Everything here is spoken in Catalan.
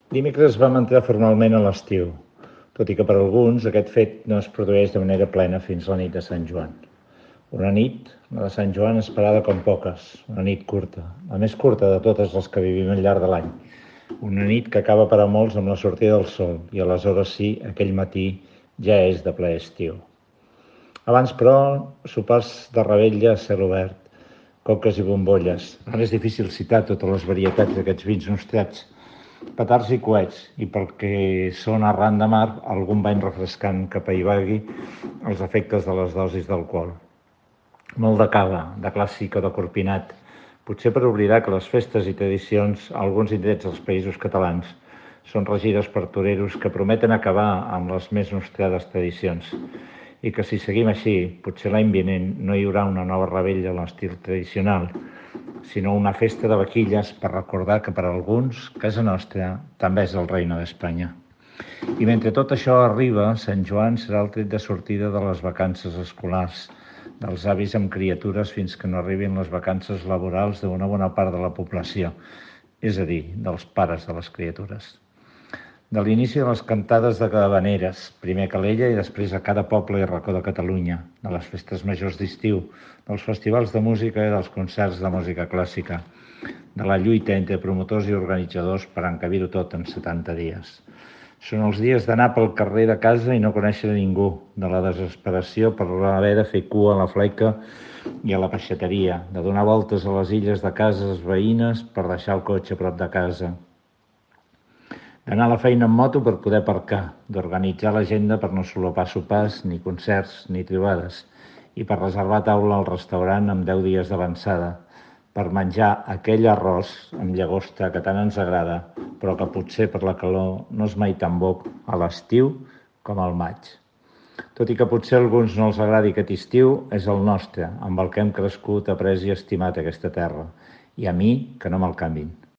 Dimecres vam entrar formalment a l'estiu, tot i que per alguns aquest fet no es produeix de manera plena fins la nit de Sant Joan. Una nit, la de Sant Joan, esperada com poques, una nit curta, la més curta de totes les que vivim al llarg de l'any. Una nit que acaba per a molts amb la sortida del sol i aleshores sí, aquell matí ja és de ple estiu. Abans, però, sopars de revetlla a cel obert, coques i bombolles. Ara és difícil citar totes les varietats d'aquests vins nostrats, petards i coets, i perquè són arran de mar, algun bany refrescant que apaivagui els efectes de les dosis d'alcohol. Molt de cava, de clàssic o de corpinat, potser per oblidar que les festes i tradicions a alguns indrets dels països catalans són regides per toreros que prometen acabar amb les més nostrades tradicions i que si seguim així, potser l'any vinent no hi haurà una nova revetlla a l'estil tradicional, sinó una festa de vaquilles per recordar que per a alguns casa nostra també és el Reino d'Espanya. I mentre tot això arriba, Sant Joan serà el tret de sortida de les vacances escolars, dels avis amb criatures fins que no arribin les vacances laborals d'una bona part de la població, és a dir, dels pares de les criatures. De l'inici de les cantades de Havaneres, primer a Calella i després a cada poble i racó de Catalunya, de les festes majors d'estiu, dels festivals de música i dels concerts de música clàssica, de la lluita entre promotors i organitzadors per encabir-ho tot en 70 dies. Són els dies d'anar pel carrer de casa i no conèixer ningú, de la desesperació per haver de fer cua a la fleca i a la peixateria, de donar voltes a les illes de cases veïnes per deixar el cotxe a prop de casa, d'anar a la feina en moto per poder aparcar, d'organitzar l'agenda per no solapar sopars, ni concerts, ni trobades, i per reservar taula al restaurant amb 10 dies d'avançada, per menjar aquell arròs amb llagosta que tant ens agrada, però que potser per la calor no és mai tan bo a l'estiu com al maig. Tot i que potser a alguns no els agradi aquest estiu, és el nostre, amb el que hem crescut, après i estimat aquesta terra, i a mi que no me'l canvin.